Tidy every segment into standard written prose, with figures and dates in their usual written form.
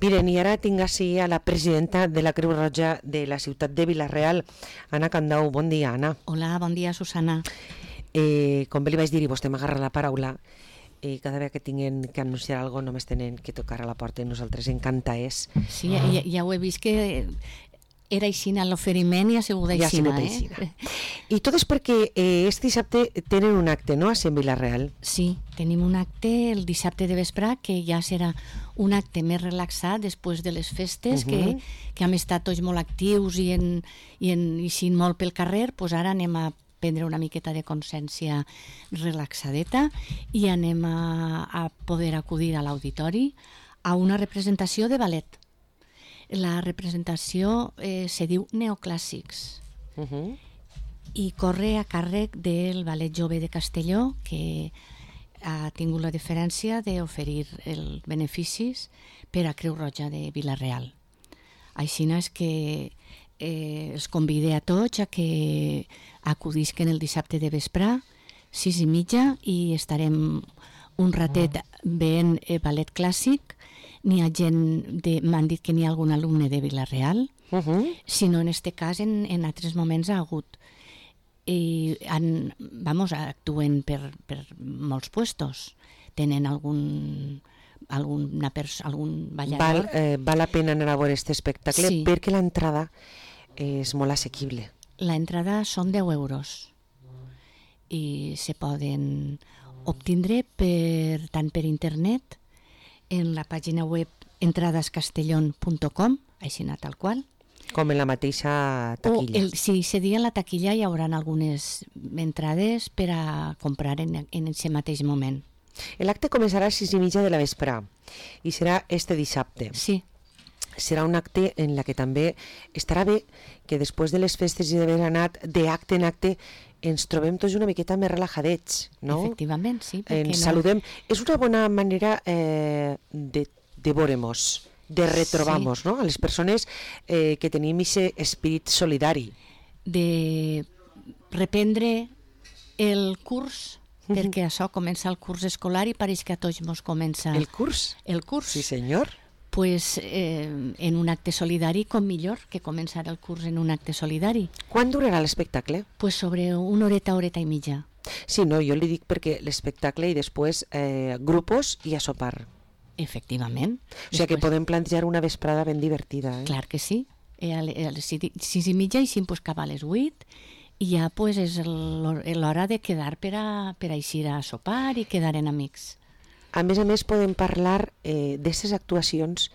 Miren, i ara tinc així a la presidenta de la Creu Roja de la ciutat de Vila-real, Anna Candau. Bon dia, Anna. Hola, bon dia, Susana. Com bé li vaig dir, i vostè m'agarra la paraula, cada vegada que tinguin que anunciar alguna cosa només tenen que tocar a la porta i nosaltres encanta és. Sí, ja ho he vist que era aixina l'oferiment i ha sigut aixina. I tot és perquè este dissabte tenen un acte, no?, a Sant Vila-real. Sí, tenim un acte el dissabte de vespre que ja serà un acte més relaxat després de les festes, que hem estat tots molt actius i eixint molt pel carrer, doncs ara anem a prendre una miqueta de consciència relaxadeta i anem a poder acudir a l'auditori a una representació de ballet. La representació se diu Neoclàssics i corre a càrrec del Ballet Jove de Castelló, que ha tingut la deferència d'oferir els beneficis per a Creu Roja de Vila-real. Així és que els convide a tots a que acudisquen el dissabte de vespre, 6:30, i estarem un ratet veient ballet clàssic. N'hi ha gent, m'han dit que n'hi ha algun alumne de Vila-real, sinó en aquest cas en altres moments ha hagut. I actuen per molts puestos. Tenen algun ballador. Val la pena anar a veure aquest espectacle, sí, perquè l'entrada és molt assequible. L'entrada són 10 euros i se poden obtindre tant per internet en la pàgina web entradascastellon.com, així tal qual. Com en la mateixa taquilla. Sí, se dia en la taquilla hi haurà algunes entrades per a comprar en aquest mateix moment. L'acte començarà a 6:30 de la vespre i serà este dissabte. Sí. Serà un acte en la que també estarà bé que després de les festes i d'haver anat d'acte en acte ens trobem tots una miqueta més relajadets, no? Efectivament, sí. Ens saludem. És una bona manera de veure-nos, de retrobar-nos, sí, no? A les persones que tenim aquest esperit solidari. De reprendre el curs, perquè això comença el curs escolar i pareix que a tots ens comença... El curs? El curs. Sí, senyor. Pues en un acte solidari, com millor que començar el curs en un acte solidari. Quan durarà l'espectacle? Pues sobre una horeta i mitja. Sí, no, jo li dic perquè l'espectacle i després grupos i a sopar. Efectivament. O sigui que podem plantejar una vesprada ben divertida. Clar que sí. A les 6:30 i pues cap a les 8 i ja pues és l'hora de quedar per a eixir a sopar i quedar en amics. A més, podem parlar d'aquestes actuacions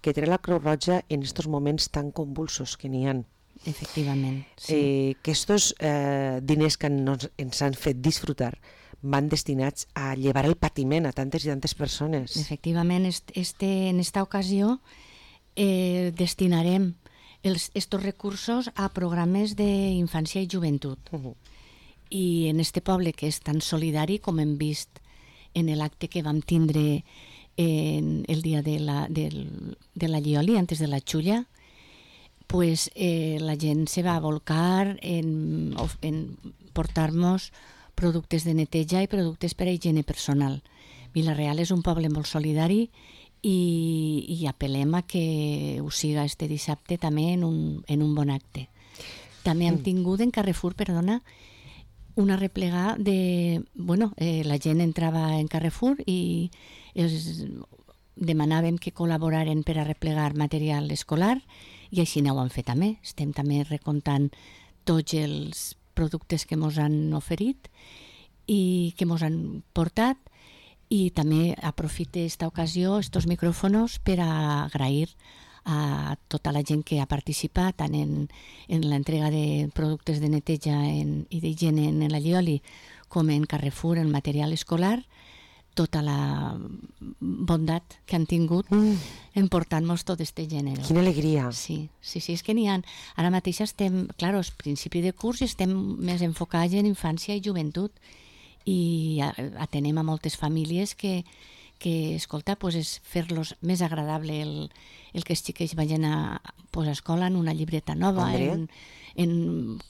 que té la Creu Roja en aquests moments tan convulsos que n'hi ha. Efectivament, sí. Que aquests diners que ens han fet disfrutar van destinats a llevar el patiment a tantes i tantes persones. Efectivament, en esta ocasió destinarem estos recursos a programes d'infància i joventut. I en este poble que és tan solidari, com hem vist en l'acte que vam tindre el dia de la Llioli, antes de la Xulla, pues la gent se va volcar en portar-nos productes de neteja i productes per a higiene personal. Vila-real és un poble molt solidari i apel·lem a que ho siga este dissabte també en un bon acte. També hem tingut en Carrefour, una replegada de... la gent entrava en Carrefour i demanàvem que col·laboraren per a replegar material escolar i així ho han fet també. Estem també recomptant tots els productes que ens han oferit i que ens han portat, i també aprofite aquesta ocasió, estos micròfons, per a agrair a tota la gent que ha participat tant en l'entrega de productes de neteja i d'higiene en la Llioli com en Carrefour, en material escolar, tota la bondat que han tingut en portar-nos tot este gènere. Quina alegria! Sí, és que n'hi ha. Ara mateix estem, clar, al principi de curs i estem més enfocats en infància i joventut i atenem a moltes famílies que que escolta, pues, és fer-los més agradable el que els xiquets vagin a escola en una llibreta nova,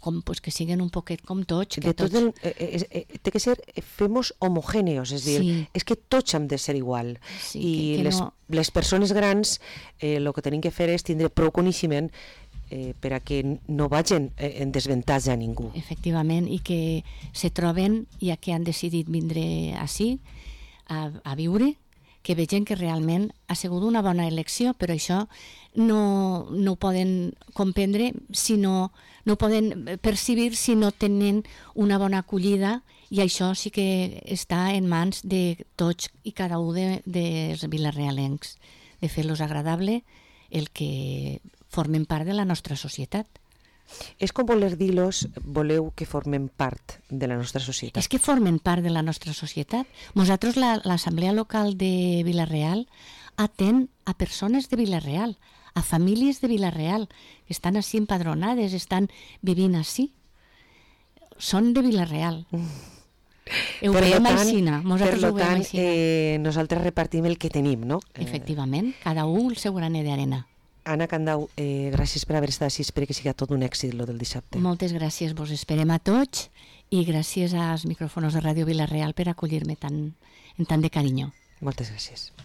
com pues, que siguen un poquet com tots. Que tots... té que ser, femos homogèneos, és dir, és que tots hem de ser igual. Sí, i les persones grans el que tenim que fer és tindre prou coneixement per a que no vagin en desavantatge a ningú. Efectivament, i que se troben, ja que han decidit vindre ací a viure, que vegin que realment ha sigut una bona elecció, però això no ho poden comprendre, no ho poden percibir si no tenen una bona acollida, i això sí que està en mans de tots i cada un dels vilarealencs, de fer-los agradable el que formen part de la nostra societat. És com voler dir-los, voleu que formen part de la nostra societat. És que formen part de la nostra societat. Nosaltres, l'Assemblea Local de Vila-real, atén a persones de Vila-real, a famílies de Vila-real, que estan així empadronades, estan vivint així. Són de Vila-real. Ho veiem aixina. Per tant, nosaltres repartim el que tenim, no? Efectivament, cada un el seu graner d'arena. Anna Candau, gràcies per haver estat així, espero que sigui tot un èxit lo del dissabte. Moltes gràcies, vos esperem a tots, i gràcies als micròfons de Ràdio Vila-real per acollir-me en tant de carinyo. Moltes gràcies.